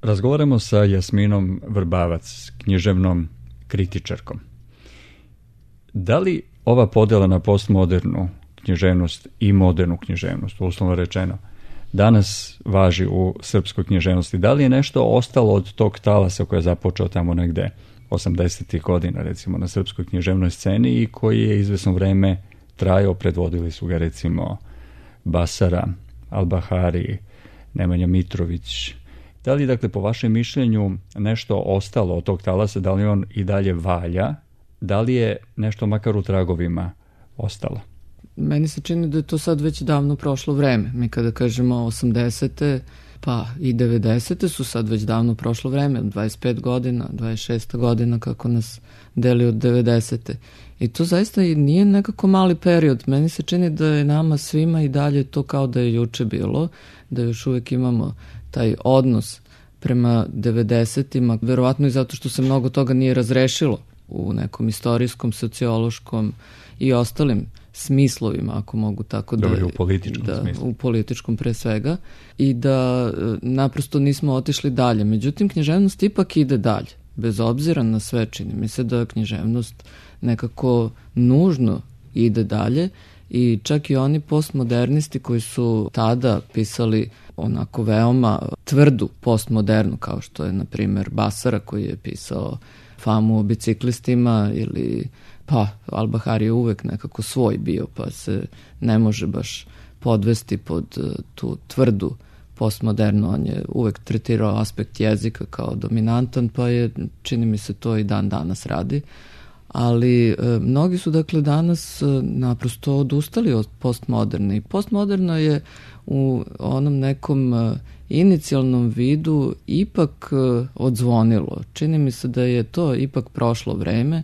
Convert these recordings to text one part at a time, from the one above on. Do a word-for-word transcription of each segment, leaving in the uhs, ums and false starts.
Razgovaramo sa Jasminom Vrbavac, književnom kritičarkom. Da li ova podjela na postmodernu književnost i modernu književnost, uslovno rečeno, danas važi u srpskoj književnosti? Da li je nešto ostalo od tog talasa koji je započeo tamo negde osamdesetih godina, recimo, na srpskoj književnoj sceni i koji je izvesno vreme trajao, predvodili su ga recimo Basara, Albahari, Nemanja Mitrović. Da li, dakle, po vašem mišljenju nešto ostalo od tog talasa, da li on i dalje valja, da li je nešto makar u tragovima ostalo? Meni se čini da je to sad već davno prošlo vreme. Mi kada kažemo osamdesete pa i devedesete su sad već davno prošlo vreme, dvadeset pet godina, dvadeset šest godina kako nas deli od devedesete. I to zaista nije nekako mali period. Meni se čini da je nama svima i dalje to kao da je juče bilo, da još uvek imamo taj odnos prema devedesetima, verovatno i zato što se mnogo toga nije razrešilo u nekom istorijskom, sociološkom i ostalim smislovima, ako mogu tako da... Dobro, u političkom da, smislu. U političkom pre svega. I da naprosto nismo otišli dalje. Međutim, književnost ipak ide dalje. Bez obzira na sve, čini mi se da književnost nekako nužno ide dalje i čak i oni postmodernisti koji su tada pisali onako veoma tvrdu postmodernu, kao što je, na primjer, Basara koji je pisao Famu o biciklistima ili pa Albahari je uvek nekako svoj bio, pa se ne može baš podvesti pod tu tvrdu postmodernu. On je uvek tretirao aspekt jezika kao dominantan, pa je, čini mi se, to i dan danas radi. Ali e, mnogi su, dakle, danas e, naprosto odustali od postmoderne. I postmoderno je u onom nekom e, inicijalnom vidu ipak e, odzvonilo. Čini mi se da je to ipak prošlo vreme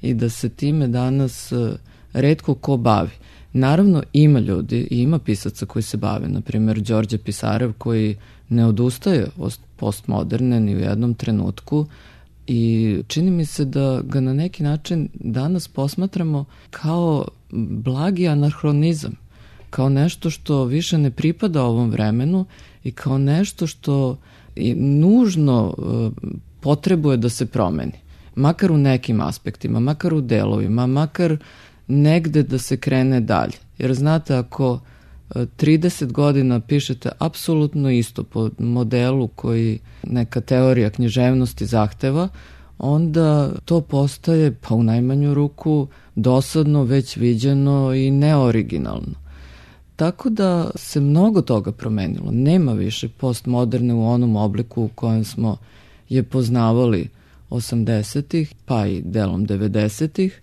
i da se time danas e, retko ko bavi. Naravno, ima ljudi i ima pisaca koji se bave. Naprimjer, Đorđe Pisarev koji ne odustaje od postmoderne ni u jednom trenutku i čini mi se da ga na neki način danas posmatramo kao blagi anahronizam, kao nešto što više ne pripada ovom vremenu i kao nešto što nužno potrebuje da se promeni. Makar u nekim aspektima, makar u delovima, makar negde da se krene dalje. Jer znate, ako trideset godina pišete apsolutno isto po modelu koji neka teorija književnosti zahteva, onda to postaje, pa u najmanju ruku, dosadno, već viđeno i neoriginalno. Tako da se mnogo toga promenilo. Nema više postmoderne u onom obliku u kojem smo je poznavali osamdesetih, pa i delom devedesetih.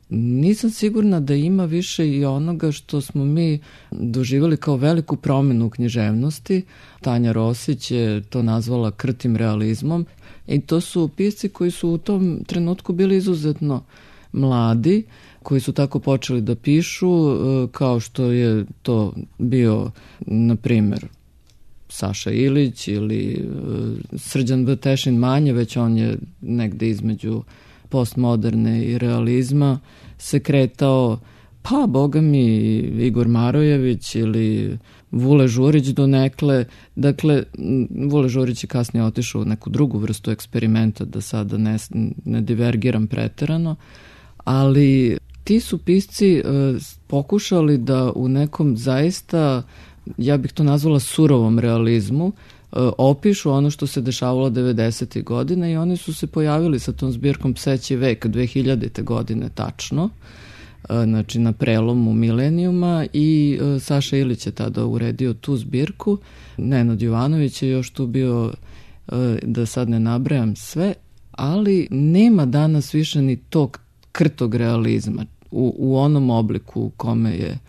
Nisam sigurna da ima više i onoga što smo mi doživjeli kao veliku promenu u književnosti. Tanja Rosić je to nazvala krtim realizmom i to su pisci koji su u tom trenutku bili izuzetno mladi, koji su tako počeli da pišu, kao što je to bio, na primjer, Saša Ilić ili Srđan Vtešin manje, već on je negde između postmoderne i realizma se kretao, pa boga mi Igor Marojević ili Vule Žurić donekle. Dakle, Vule Žurić je kasnije otišao u neku drugu vrstu eksperimenta, da sada ne, ne divergiram preterano, ali ti su pisci uh, pokušali da u nekom zaista, ja bih to nazvala surovom realizmu, opišu ono što se dešavalo devedesetih godina i oni su se pojavili sa tom zbirkom Pseći vek dve hiljadite godine tačno, znači na prelomu milenijuma, i Saša Ilić je tada uredio tu zbirku. Nenad Jovanović je još tu bio, da sad ne nabrajam sve, ali nema danas više ni tog krtog realizma u, u onom obliku u kome je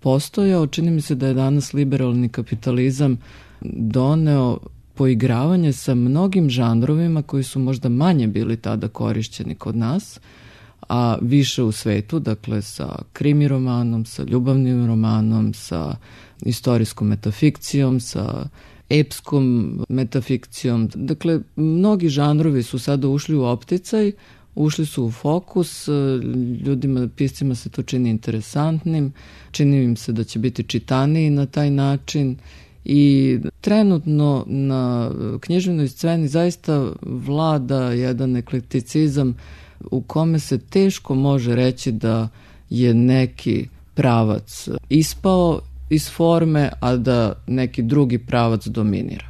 postojao. Čini mi se da je danas liberalni kapitalizam doneo poigravanje sa mnogim žanrovima koji su možda manje bili tada korišćeni kod nas, a više u svetu, dakle sa krimi romanom, sa ljubavnim romanom, sa istorijskom metafikcijom, sa epskom metafikcijom. Dakle, mnogi žanrovi su sada ušli u opticaj, ušli su u fokus, ljudima, piscima se to čini interesantnim, čini im se da će biti čitaniji na taj način I trenutno na književnoj sceni zaista vlada jedan eklekticizam u kome se teško može reći da je neki pravac ispao iz forme, a da neki drugi pravac dominira.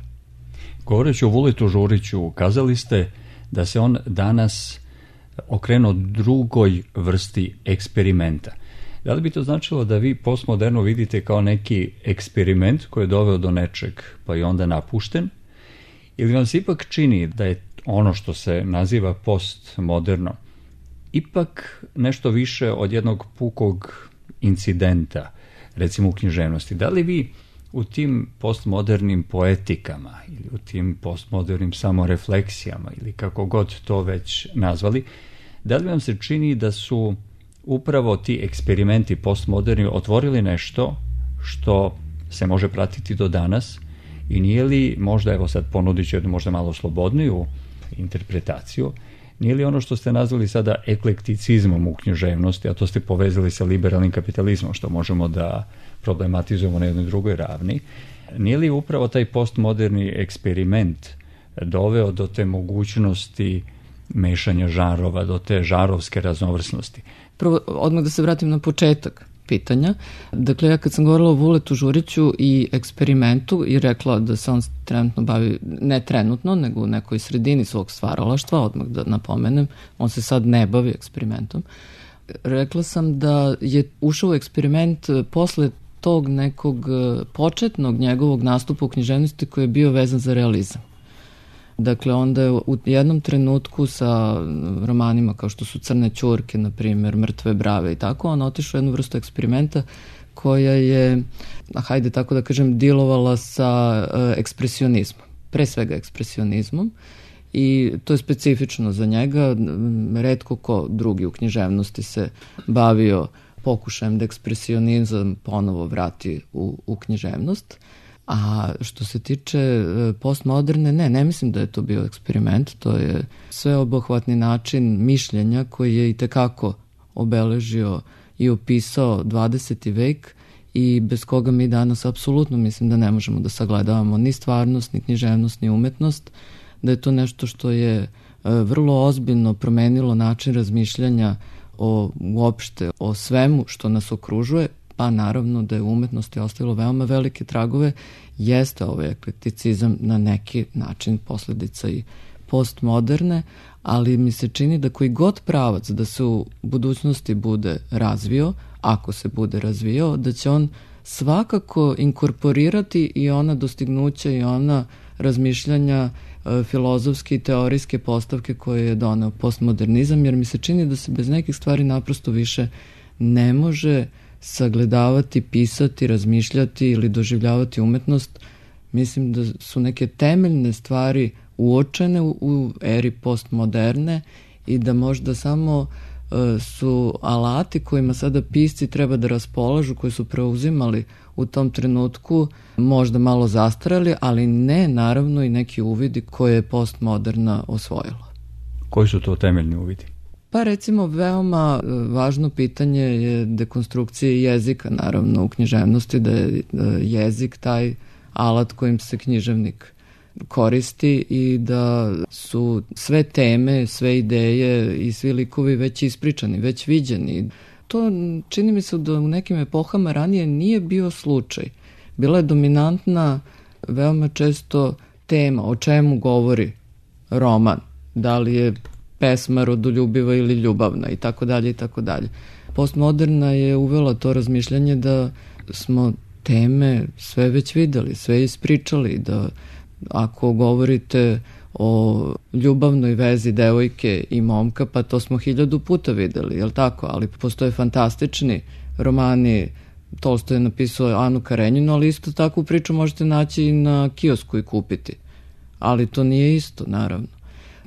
Govoreći o Vuletu Žuriću, kazali ste da se on danas okrenuo drugoj vrsti eksperimenta. Da li bi to značilo da vi postmoderno vidite kao neki eksperiment koji je doveo do nečeg pa i onda napušten? Ili vam se ipak čini da je ono što se naziva postmoderno ipak nešto više od jednog pukog incidenta, recimo u književnosti? Da li vi u tim postmodernim poetikama ili u tim postmodernim samorefleksijama ili kako god to već nazvali, da li vam se čini da su upravo ti eksperimenti postmoderni otvorili nešto što se može pratiti do danas i nije li možda, evo sad ponudit ću jednu možda malo slobodniju interpretaciju, nije li ono što ste nazvali sada eklekticizmom u književnosti, a to ste povezali sa liberalnim kapitalizmom, što možemo da problematizujemo na jednoj drugoj ravni, nije li upravo taj postmoderni eksperiment doveo do te mogućnosti mešanja žanrova, do te žanrovske raznovrsnosti? Prvo, odmah da se vratim na početak pitanja. Dakle, ja kad sam govorila o Vuletu Žuriću i eksperimentu i rekla da se on trenutno bavi, ne trenutno, nego u nekoj sredini svog stvaralaštva, odmah da napomenem, on se sad ne bavi eksperimentom. Rekla sam da je ušao u eksperiment posle tog nekog početnog njegovog nastupa u književnosti koji je bio vezan za realizam. Dakle, onda je u jednom trenutku sa romanima kao što su Crne ćurke, na primjer, Mrtve brave i tako, on otišao u jednu vrstu eksperimenta koja je, hajde tako da kažem, dilovala sa ekspresionizmom, pre svega ekspresionizmom, i to je specifično za njega. Retko ko drugi u književnosti se bavio pokušajem da ekspresionizam ponovo vrati u, u književnost. A što se tiče postmoderne, ne, ne mislim da je to bio eksperiment, to je sveobuhvatni način mišljenja koji je i tekako obeležio i opisao dvadeseti vek i bez koga mi danas apsolutno mislim da ne možemo da sagledavamo ni stvarnost, ni književnost, ni umetnost, da je to nešto što je vrlo ozbiljno promenilo način razmišljanja o uopšte, o svemu što nas okružuje, pa naravno da je u umetnosti ostavilo veoma velike tragove, jeste ovaj eklekticizam na neki način posledica i postmoderne, ali mi se čini da koji god pravac da se u budućnosti bude razvio, ako se bude razvio, da će on svakako inkorporirati i ona dostignuća i ona razmišljanja filozofske i teorijske postavke koje je doneo postmodernizam, jer mi se čini da se bez nekih stvari naprosto više ne može sagledavati, pisati, razmišljati ili doživljavati umetnost. Mislim da su neke temeljne stvari uočene u, u eri postmoderne i da možda samo uh, su alati kojima sada pisci treba da raspolažu, koji su preuzimali u tom trenutku, možda malo zastarali, ali ne naravno i neki uvidi koje je postmoderna osvojila. Koji su to temeljni uvidi? Pa recimo veoma važno pitanje je dekonstrukcije jezika, naravno u književnosti, da je jezik taj alat kojim se književnik koristi i da su sve teme, sve ideje i svi likovi već ispričani, već viđeni. To čini mi se da u nekim epohama ranije nije bio slučaj. Bila je dominantna veoma često tema o čemu govori roman, da li je pesma rodoljubiva ili ljubavna i tako dalje i tako dalje. Postmoderna je uvela to razmišljanje da smo teme sve već videli, sve ispričali, da ako govorite o ljubavnoj vezi devojke i momka, pa to smo hiljadu puta videli, jel tako? Ali postoje fantastični romani, Tolstoj je napisao Anu Karenjinu, ali isto takvu priču možete naći i na kiosku i kupiti. Ali to nije isto, naravno.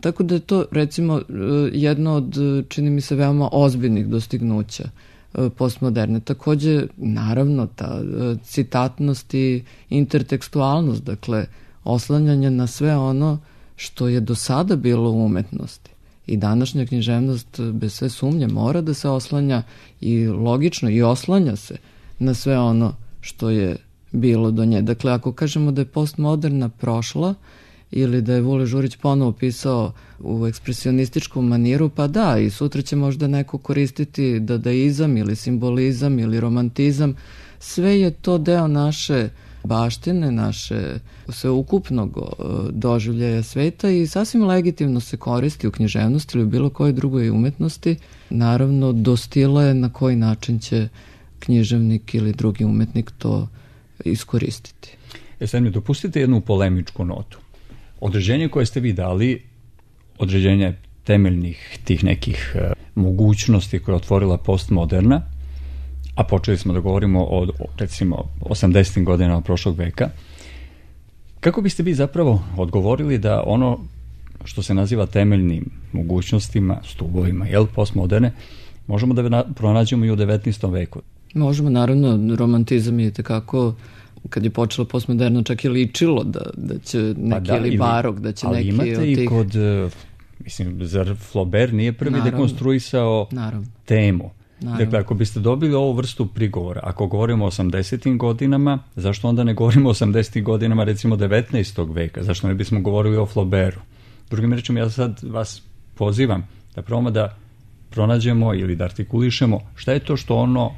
Tako da je to, recimo, jedno od, čini mi se, veoma ozbiljnih dostignuća postmoderne. Takođe, naravno, ta citatnost i intertekstualnost, dakle, oslanjanje na sve ono što je do sada bilo u umetnosti. I današnja književnost, bez sve sumnje, mora da se oslanja i logično i oslanja se na sve ono što je bilo do nje. Dakle, ako kažemo da je postmoderna prošla ili da je Vule Žurić ponovo pisao u ekspresionističkom maniru, pa da, i sutra će možda neko koristiti dadaizam ili simbolizam ili romantizam. Sve je to deo naše baštine, naše sveukupnog doživljaja sveta i sasvim legitimno se koristi u književnosti ili u bilo kojoj drugoj umetnosti. Naravno, do stila je na koji način će književnik ili drugi umetnik to iskoristiti. E sad mi dopustite jednu polemičku notu. Određenje koje ste vi dali, određenje temeljnih tih nekih uh, mogućnosti koje je otvorila postmoderna, a počeli smo da govorimo o, recimo, osamdesetim godinama prošlog veka, kako biste vi zapravo odgovorili da ono što se naziva temeljnim mogućnostima, stubovima, jel, postmoderne, možemo da pronađemo i u devetnaestom veku? Možemo, naravno, romantizam je tekako, kad je počelo postmoderno, čak je ličilo da, da će neki pa da, ili barok, da će ali neki imate od tih... i kod, mislim, zar Flaubert nije prvi naravno, dekonstruisao naravno. temu? Naravno. Dakle, ako biste dobili ovu vrstu prigovora, ako govorimo o osamdesetim godinama, zašto onda ne govorimo o osamdesetim godinama, recimo devetnaestog veka? Zašto ne bismo govorili o Flaubertu? Drugim rečima, ja sad vas pozivam da probamo da pronađemo ili da artikulišemo šta je to što ono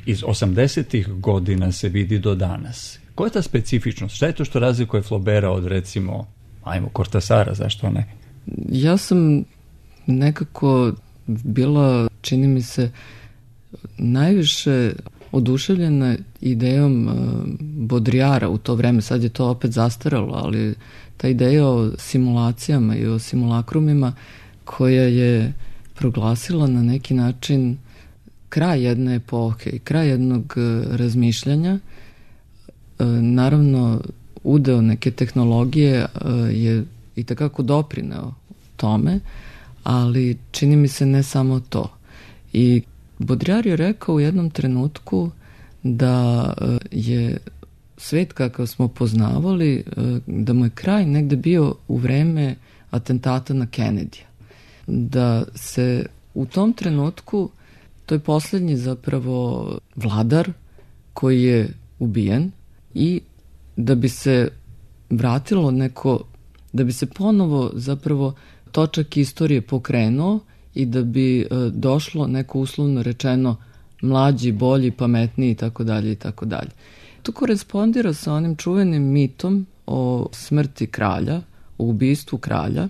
iz osamdesetih godina se vidi do danas. Koja je ta specifičnost? Šta je to što razlikuje Flaubera od, recimo, ajmo, Cortasara, zašto ne? Ja sam nekako bila, čini mi se, najviše oduševljena idejom uh, Baudrillarda u to vreme. Sad je to opet zastaralo, ali ta ideja o simulacijama i o simulakrumima koja je proglasila na neki način kraj jedne epohe i kraj jednog uh, razmišljanja. Uh, naravno, udeo neke tehnologije uh, je i takako doprineo tome, ali čini mi se ne samo to. I Baudrillard je rekao u jednom trenutku da je svet kakav smo poznavali, da mu je kraj negde bio u vreme atentata na Kennedyja. Da se u tom trenutku, to je poslednji zapravo vladar koji je ubijen i da bi se vratilo neko, da bi se ponovo zapravo točak istorije pokrenuo i da bi e, došlo neko uslovno rečeno mlađi, bolji, pametniji i tako dalje i tako dalje. To korespondira sa onim čuvenim mitom o smrti kralja, o ubistvu kralja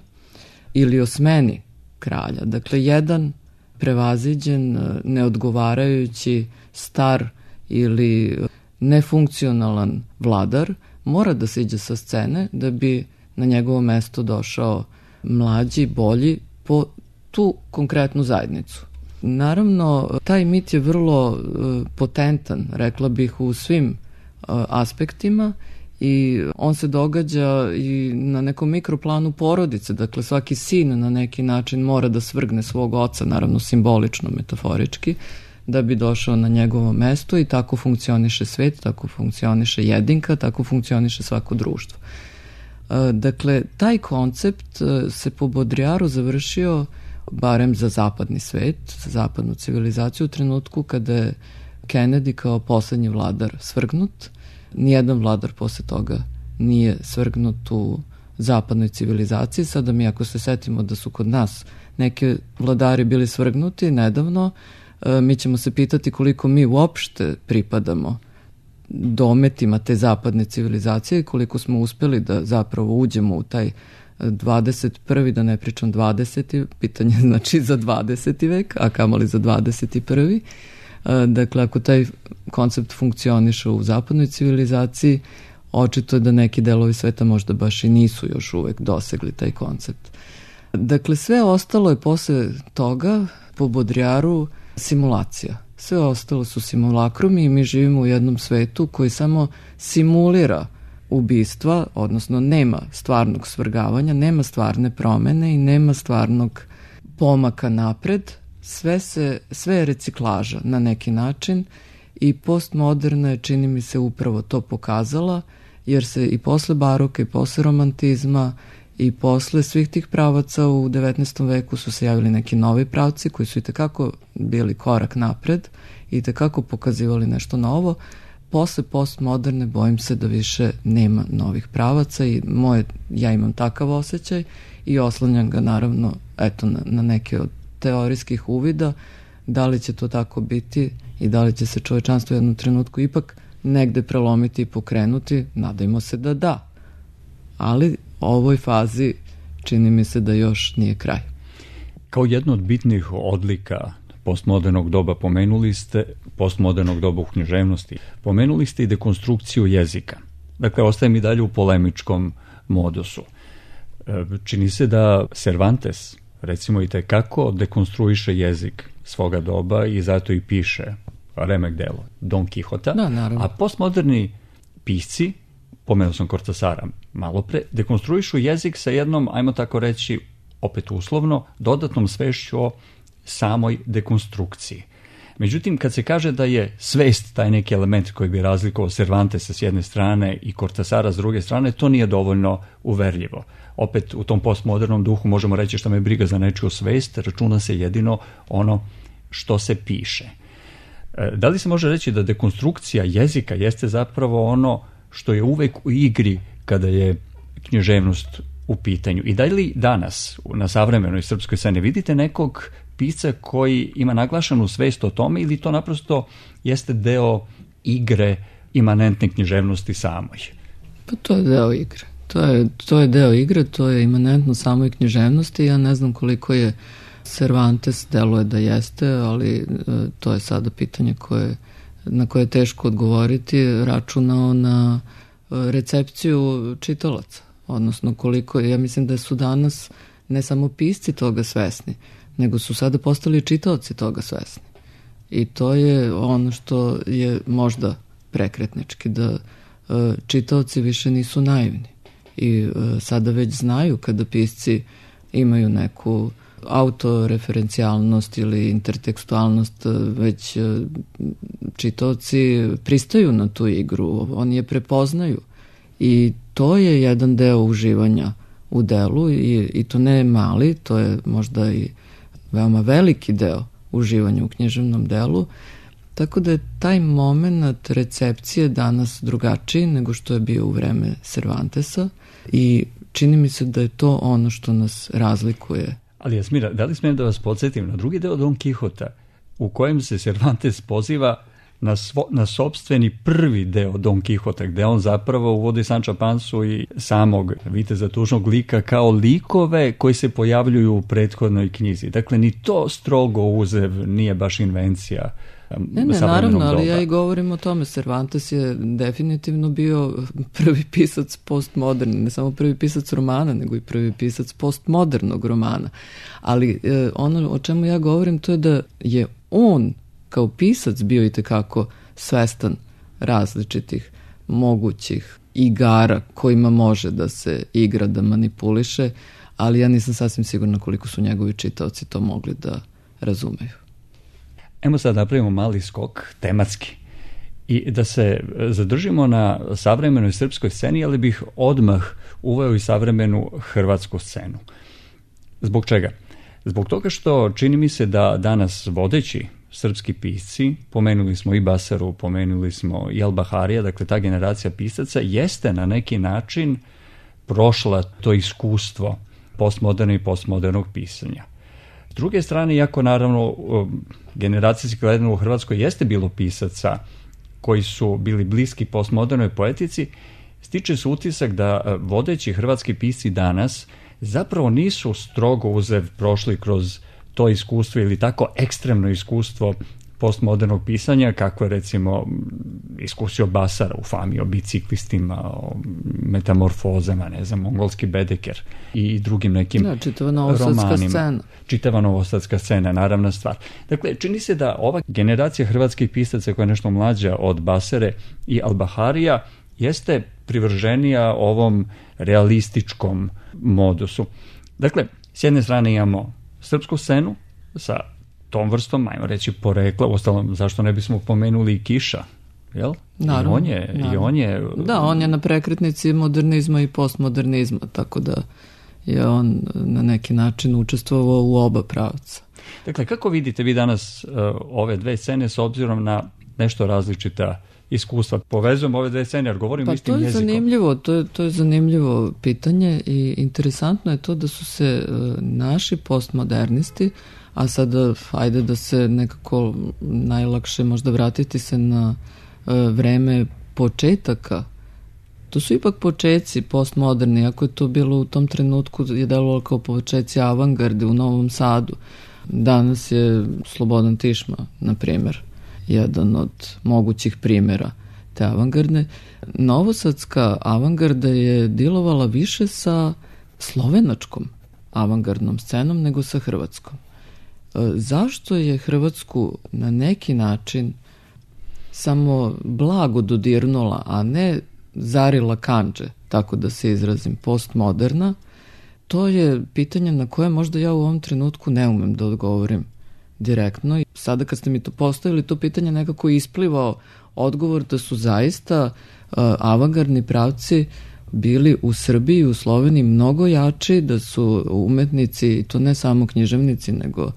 ili o smeni kralja. Dakle, jedan prevaziđen, neodgovarajući, star ili nefunkcionalan vladar mora da siđe sa scene da bi na njegovo mesto došao mlađi, bolji, po tu konkretnu zajednicu. Naravno, taj mit je vrlo uh, potentan, rekla bih, u svim uh, aspektima i on se događa i na nekom mikroplanu porodice. Dakle, svaki sin na neki način mora da svrgne svog oca, naravno simbolično, metaforički, da bi došao na njegovo mesto i tako funkcioniše svet, tako funkcioniše jedinka, tako funkcioniše svako društvo. Dakle, taj koncept se po Baudrillardu završio, barem za zapadni svet, za zapadnu civilizaciju, u trenutku kada je Kennedy kao poslednji vladar svrgnut. Nijedan vladar posle toga nije svrgnut u zapadnoj civilizaciji. Sada mi, ako se setimo da su kod nas neki vladari bili svrgnuti nedavno, mi ćemo se pitati koliko mi uopšte pripadamo dometima te zapadne civilizacije i koliko smo uspeli da zapravo uđemo u taj dvadeset prvi, da ne pričam dvadeseti, pitanje znači za dvadeseti vek, a kamoli za dvadeset prvi. Dakle, ako taj koncept funkcioniše u zapadnoj civilizaciji, očito je da neki delovi sveta možda baš i nisu još uvek dosegli taj koncept. Dakle, sve ostalo je posle toga po Baudrillardu simulacija. Sve ostalo su simulakrumi i mi živimo u jednom svetu koji samo simulira ubistva, odnosno nema stvarnog svrgavanja, nema stvarne promene i nema stvarnog pomaka napred. Sve, se, sve je reciklaža na neki način i postmoderna je, čini mi se, upravo to pokazala, jer se i posle baroka i posle romantizma i posle svih tih pravaca u devetnaestom veku su se javili neki novi pravci koji su i tekako bili korak napred i tekako pokazivali nešto novo. posle postmoderne bojim se da više nema novih pravaca i moje, ja imam takav osjećaj i oslanjam ga naravno eto, na, na neke od teorijskih uvida. Da li će to tako biti i da li će se čovečanstvo u jednom trenutku ipak negde prelomiti i pokrenuti, nadajmo se da da. Ali ovoj fazi čini mi se da još nije kraj. Kao jedno od bitnih odlika postmodernog doba pomenuli ste, postmodernog doba u književnosti, pomenuli ste i dekonstrukciju jezika. Dakle, ostaje mi dalje u polemičkom modusu. Čini se da Cervantes, recimo, i tekako dekonstruiše jezik svoga doba i zato i piše remek delo Don Quixota, da, a postmoderni pisci, pomenuo sam Cortasara malo pre, dekonstruišu jezik sa jednom, ajmo tako reći, opet uslovno, dodatnom svešću o samoj dekonstrukciji. Međutim, kad se kaže da je svest taj neki element koji bi razlikovao Cervantesa s jedne strane i Cortasara s druge strane, to nije dovoljno uverljivo. Opet u tom postmodernom duhu možemo reći šta me briga za nečiju svest, računa se jedino ono što se piše. Da li se može reći da dekonstrukcija jezika jeste zapravo ono što je uvek u igri kada je književnost u pitanju? I da li danas na savremenoj srpskoj sceni vidite nekog pisca koji ima naglašenu svest o tome ili to naprosto jeste deo igre imanentne književnosti samoj? Pa to je deo igre. To je, to je deo igre, to je imanentno samoj književnosti. Ja ne znam koliko je Cervantes, deluje da jeste, ali e, to je sada pitanje koje, na koje je teško odgovoriti, računao na e, recepciju čitalaca. Odnosno koliko, ja mislim da su danas ne samo pisci toga svesni, nego su sada postali čitaoci toga svesni. I to je ono što je možda prekretnički, da e, čitaoci više nisu naivni. I e, sada već znaju kada pisci imaju neku autoreferencijalnost ili intertekstualnost, već e, čitaoci pristaju na tu igru, oni je prepoznaju. I to je jedan deo uživanja u delu i, i to ne mali, to je možda i veoma veliki deo uživanja u književnom delu, tako da je taj moment recepcije danas drugačiji nego što je bio u vreme Cervantesa i čini mi se da je to ono što nas razlikuje. Ali Jasmira, da li smijem da vas podsjetim na drugi deo Don Quixota u kojem se Cervantes poziva na, svo, na sopstveni prvi deo Don Quixota, gde on zapravo uvodi Sanča Pansu i samog viteza tužnog lika kao likove koji se pojavljuju u prethodnoj knjizi. Dakle, ni to strogo uzev nije baš invencija. Ne, ne, naravno, ali ja i govorim o tome. Cervantes je definitivno bio prvi pisac postmoderni, ne samo prvi pisac romana, nego i prvi pisac postmodernog romana. Ali eh, ono o čemu ja govorim to je da je on kao pisac bio i tekako svestan različitih mogućih igara kojima može da se igra, da manipuliše, ali ja nisam sasvim sigurna koliko su njegovi čitaoci to mogli da razumeju. Evo sad napravimo mali skok tematski i da se zadržimo na savremenoj srpskoj sceni, ali bih odmah uveo i savremenu hrvatsku scenu. Zbog čega? Zbog toga što čini mi se da danas vodeći srpski pisci, pomenuli smo i Basaru, pomenuli smo i Al-Baharija, dakle ta generacija pisaca jeste na neki način prošla to iskustvo postmoderne i postmodernog pisanja. S druge strane, iako naravno generacijski gledano u Hrvatskoj jeste bilo pisaca koji su bili bliski postmodernoj poetici, stiče se utisak da vodeći hrvatski pisci danas zapravo nisu strogo uzev prošli kroz to iskustvo ili tako ekstremno iskustvo postmodernog pisanja, kako je recimo iskusio Basara u Fami o biciklistima, o metamorfozama, ne znam, mongolski Bedeker i drugim nekim da, čitava novosadska scena. Čitava novosadska scena, naravna stvar. Dakle, čini se da ova generacija hrvatskih pisaca koja je nešto mlađa od Basare i Al-Baharija jeste privrženija ovom realističkom modusu. Dakle, s jedne strane imamo srpsku scenu sa tom vrstom, ajmo reći, porekla, uostalom, zašto ne bismo pomenuli i Kiša, jel? Naravno, I on je, naravno. I on je... Da, on je na prekretnici modernizma i postmodernizma, tako da je on na neki način učestvovao u oba pravca. Dakle, kako vidite vi danas uh, ove dve scene s obzirom na nešto različita iskustva. Povezujem ove dve scene, jer govorim pa istim jezikom. Pa to je zanimljivo, to je, to je zanimljivo pitanje i interesantno je to da su se uh, naši postmodernisti, a sada ajde da se nekako najlakše možda vratiti se na uh, vreme početaka. To su ipak početci postmoderni, ako je to bilo u tom trenutku je delovalo kao početci avangarde u Novom Sadu. Danas je Slobodan Tišma, na primjer, jedan od mogućih primjera te avangardne. Novosadska avangarda je djelovala više sa slovenačkom avangardnom scenom nego sa hrvatskom. Zašto je Hrvatsku na neki način samo blago dodirnula, a ne zarila kandže, tako da se izrazim, postmoderna? To je pitanje na koje možda ja u ovom trenutku ne umem da odgovorim direktno. I sada kad ste mi to postavili, to pitanje nekako isplivao odgovor da su zaista uh, avangardni pravci bili u Srbiji i u Sloveniji mnogo jači, da su umetnici, i to ne samo književnici, nego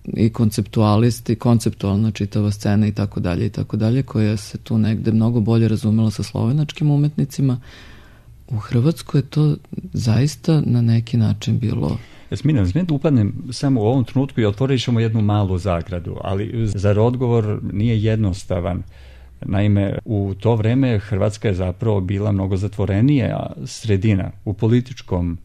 i konceptualisti, konceptualna čitava scena i tako dalje i tako dalje, koja se tu negde mnogo bolje razumela sa slovenačkim umetnicima. U Hrvatskoj je to zaista na neki način bilo... Jasmina, smijem da upadnem samo u ovom trenutku i otvorit ćemo jednu malu zagradu, ali zar odgovor nije jednostavan? Naime, u to vreme Hrvatska je zapravo bila mnogo zatvorenija sredina u političkom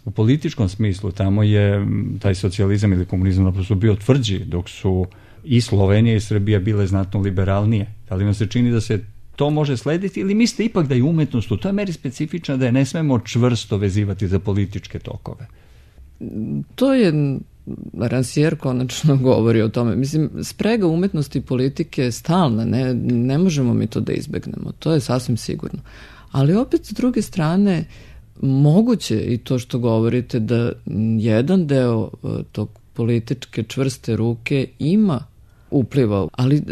u političkom smislu. Tamo je taj socijalizam ili komunizam naprosto bio tvrđi, dok su i Slovenija i Srbija bile znatno liberalnije. Da li vam se čini da se to može slediti ili mislite ipak da je umetnost u toj meri specifična da je ne smemo čvrsto vezivati za političke tokove? To je, Rancière konačno govori o tome. Mislim, sprega umetnosti i politike je stalna, ne, ne možemo mi to da izbegnemo, to je sasvim sigurno. Ali opet s druge strane, moguće i to što govorite da jedan deo tog političke čvrste ruke ima upliva, ali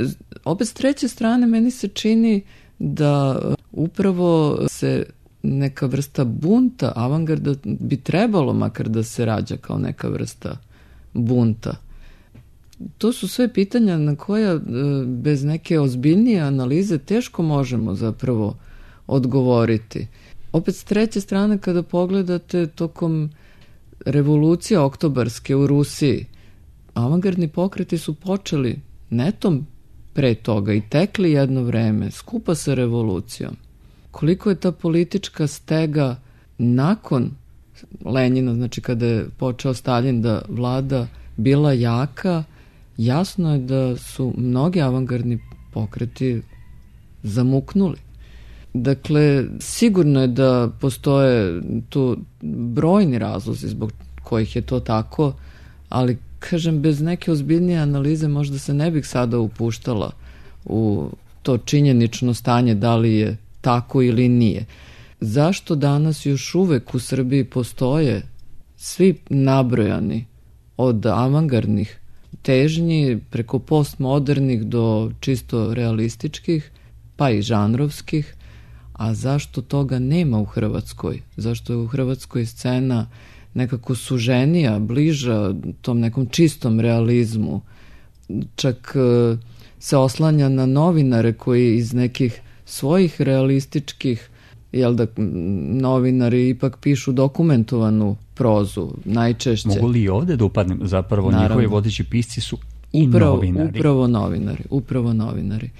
opet s treće strane meni se čini da upravo se neka vrsta bunta avangarda bi trebalo makar da se rađa kao neka vrsta bunta. To su sve pitanja na koja bez neke ozbiljnije analize teško možemo zapravo odgovoriti. Opet s treće strane kada pogledate tokom revolucije oktobarske u Rusiji, avangardni pokreti su počeli netom pre toga i tekli jedno vreme skupa sa revolucijom. Koliko je ta politička stega nakon Lenjina, znači kada je počeo Staljin da vlada, bila jaka, jasno je da su mnogi avangardni pokreti zamuknuli. Dakle, sigurno je da postoje tu brojni razlozi zbog kojih je to tako, ali kažem, bez neke ozbiljnije analize možda se ne bih sada upuštala u to činjenično stanje da li je tako ili nije. Zašto danas još uvek u Srbiji postoje svi nabrojani od avangardnih težnji preko postmodernih do čisto realističkih, pa i žanrovskih, a zašto toga nema u Hrvatskoj? Zašto je u Hrvatskoj scena nekako suženija, bliža tom nekom čistom realizmu? Čak se oslanja na novinare koji iz nekih svojih realističkih, jel da novinari ipak pišu dokumentovanu prozu, najčešće. Mogu li i ovde da upadnem? Zapravo Naravno. Njihovi vodeći pisci su i upravo, novinari. Upravo novinari, upravo novinari.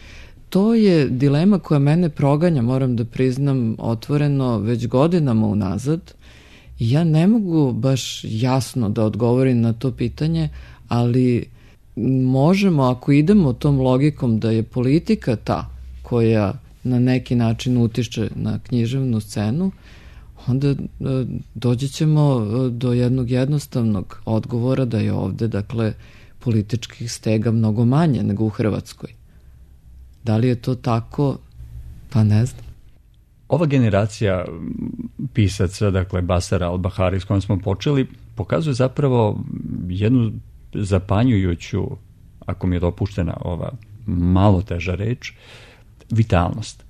To je dilema koja mene proganja, moram da priznam otvoreno, već godinama unazad. Ja ne mogu baš jasno da odgovorim na to pitanje, ali možemo, ako idemo tom logikom da je politika ta koja na neki način utiče na književnu scenu, onda doći ćemo do jednog jednostavnog odgovora da je ovde, dakle, političkih stega mnogo manje nego u Hrvatskoj. Da li je to tako? Pa ne znam. Ova generacija pisaca, dakle Basara al-Bahari s kojom smo počeli, pokazuje zapravo jednu zapanjujuću, ako mi je dopuštena ova malo teža reč, vitalnost.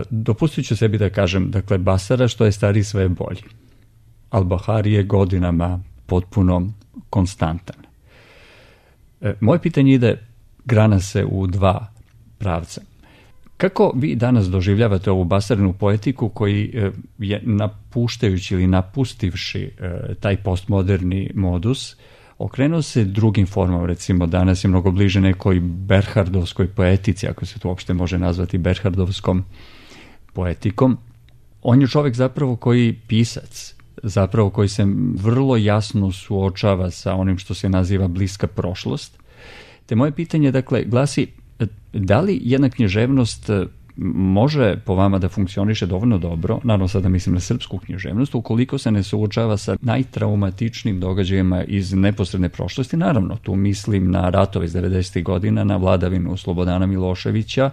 Dopustit ću sebi da kažem, dakle, Basara što je stariji sve je bolji. Al-Bahari je godinama potpuno konstantan. Moje pitanje ide, grana se u dva pravca. Kako vi danas doživljavate ovu basarnu poetiku koji je napuštajući ili napustivši taj postmoderni modus, okrenuo se drugim formama, recimo danas je mnogo bliže nekoj berhardovskoj poetici, ako se to uopšte može nazvati berhardovskom poetikom. On je čovjek zapravo koji pisac, zapravo koji se vrlo jasno suočava sa onim što se naziva bliska prošlost. Te moje pitanje, dakle, glasi, da li jedna književnost može po vama da funkcioniše dovoljno dobro, naravno sada mislim na srpsku književnost, ukoliko se ne suočava sa najtraumatičnijim događajima iz neposredne prošlosti? Naravno, tu mislim na ratove iz devedesetih godina, na vladavinu Slobodana Miloševića.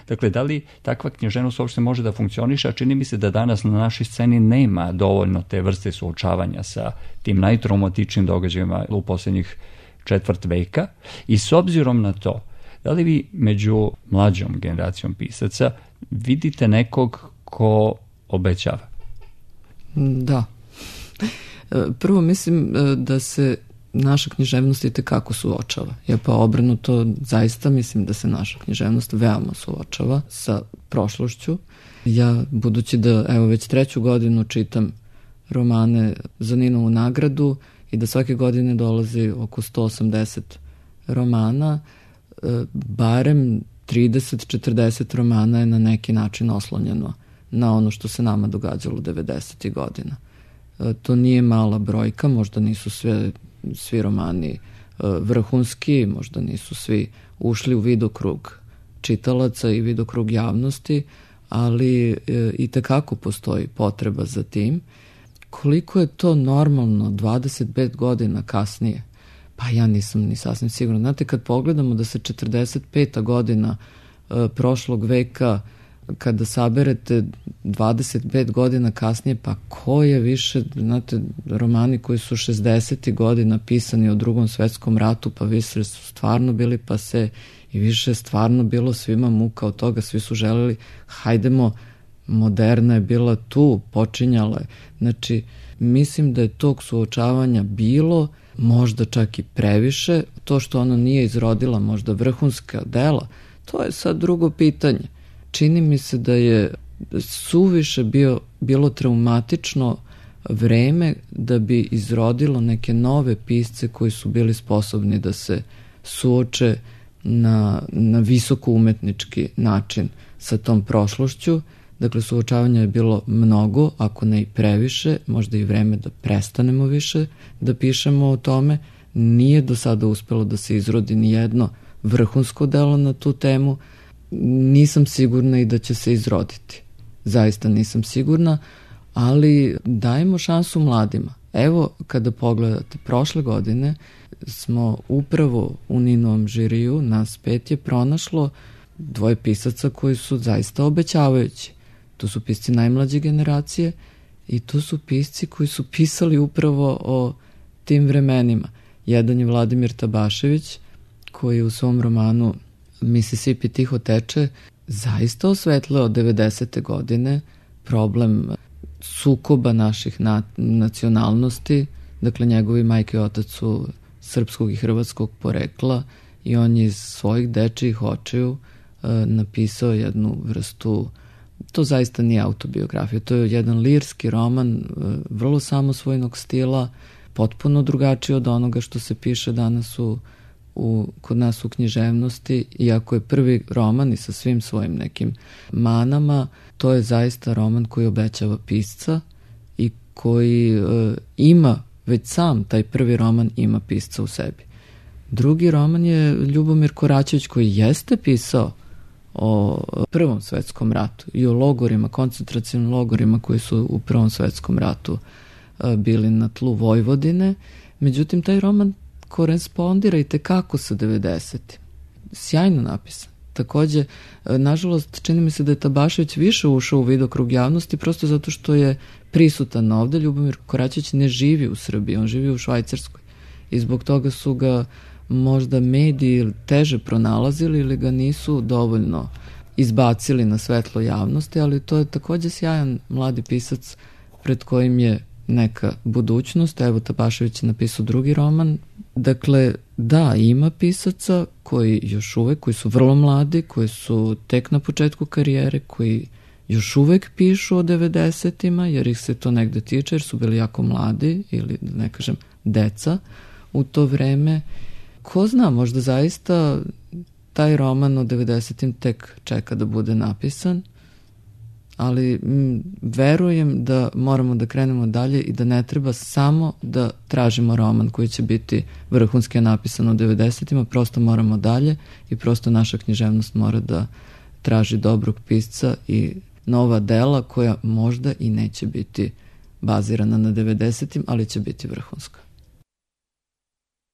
Dakle, da li takva književnost uopšte može da funkcioniše, a čini mi se da danas na našoj sceni nema dovoljno te vrste suočavanja sa tim najtraumatičnijim događajima u posljednjih četvrt veka, i s obzirom na to, da li vi među mlađom generacijom pisaca vidite nekog ko obećava? Da. Prvo mislim da se naša književnost itekako suočava. Ja pa obrnuto zaista mislim da se naša književnost veoma suočava sa prošlošću. Ja, budući da evo već treću godinu čitam romane za Ninovu nagradu i da svake godine dolazi oko sto osamdeset romana, barem trideset četrdeset romana je na neki način oslonjeno na ono što se nama događalo devedesetih godina. To nije mala brojka, možda nisu sve, svi romani vrhunski, možda nisu svi ušli u vidokrug čitalaca i vidokrug javnosti, ali itekako postoji potreba za tim. Koliko je to normalno dvadeset pet godina kasnije? Pa ja nisam ni sasvim sigurna. Znate, kad pogledamo da se četrdeset peta godina e, prošlog veka, kada saberete dvadeset pet godina kasnije, pa ko je više, znate, romani koji su šezdesetih godina pisani o Drugom svetskom ratu, pa više su stvarno bili pase i više je stvarno bilo svima muka od toga, svi su želeli, hajdemo, moderna je bila tu, počinjala je. Znači, mislim da je tog suočavanja bilo, možda čak i previše. To što ona nije izrodila možda vrhunska dela, to je sad drugo pitanje. Čini mi se da je suviše bio, bilo traumatično vreme da bi izrodilo neke nove pisce koji su bili sposobni da se suoče na, na visoko umetnički način sa tom prošlošću. Dakle, suočavanja je bilo mnogo, ako ne i previše, možda i vreme da prestanemo više da pišemo o tome. Nije do sada uspelo da se izrodi ni jedno vrhunsko delo na tu temu. Nisam sigurna i da će se izroditi. Zaista nisam sigurna, ali dajemo šansu mladima. Evo, kada pogledate, prošle godine smo upravo u Ninovom žiriju, nas pet je pronašlo dvoje pisaca koji su zaista obećavajući. To su pisci najmlađe generacije i to su pisci koji su pisali upravo o tim vremenima. Jedan je Vladimir Tabašević, koji u svom romanu Mississippi tiho teče zaista osvetleo devedesete godine problem sukoba naših na, nacionalnosti. Dakle, njegovi majke i otac su srpskog i hrvatskog porekla i on je iz svojih dečijih očiju e, napisao jednu vrstu. To zaista nije autobiografija, to je jedan lirski roman, vrlo samosvojnog stila, potpuno drugačiji od onoga što se piše danas u, u, kod nas u književnosti. Iako je prvi roman i sa svim svojim nekim manama, to je zaista roman koji obećava pisca i koji e, ima, već sam taj prvi roman ima pisca u sebi. Drugi roman je Ljubomir Koračević, koji jeste pisao o Prvom svetskom ratu i o logorima, koncentracijnim logorima koji su u Prvom svetskom ratu bili na tlu Vojvodine. Međutim, taj roman korespondira i tekako sa devedesetim. Sjajno napisan. Takođe, nažalost, čini mi se da je Tabašević više ušao u vidokrug javnosti prosto zato što je prisutan ovde. Ljubomir Koračević ne živi u Srbiji, on živi u Švajcarskoj i zbog toga su ga možda mediji teže pronalazili ili ga nisu dovoljno izbacili na svetlo javnosti, ali to je takođe sjajan mladi pisac pred kojim je neka budućnost. Evo, Tabašević je napisao drugi roman. Dakle, Da, ima pisaca koji još uvek, koji su vrlo mladi, koji su tek na početku karijere, koji još uvek pišu o devedesetima, jer ih se to negde tiče, jer su bili jako mladi ili, da ne kažem, deca u to vreme. Ko zna, možda zaista taj roman o devedesetim tek čeka da bude napisan, ali m, verujem da moramo da krenemo dalje i da ne treba samo da tražimo roman koji će biti vrhunski napisan u devedesetima, prosto moramo dalje i prosto naša književnost mora da traži dobrog pisca i nova dela koja možda i neće biti bazirana na devedesetim, ali će biti vrhunska.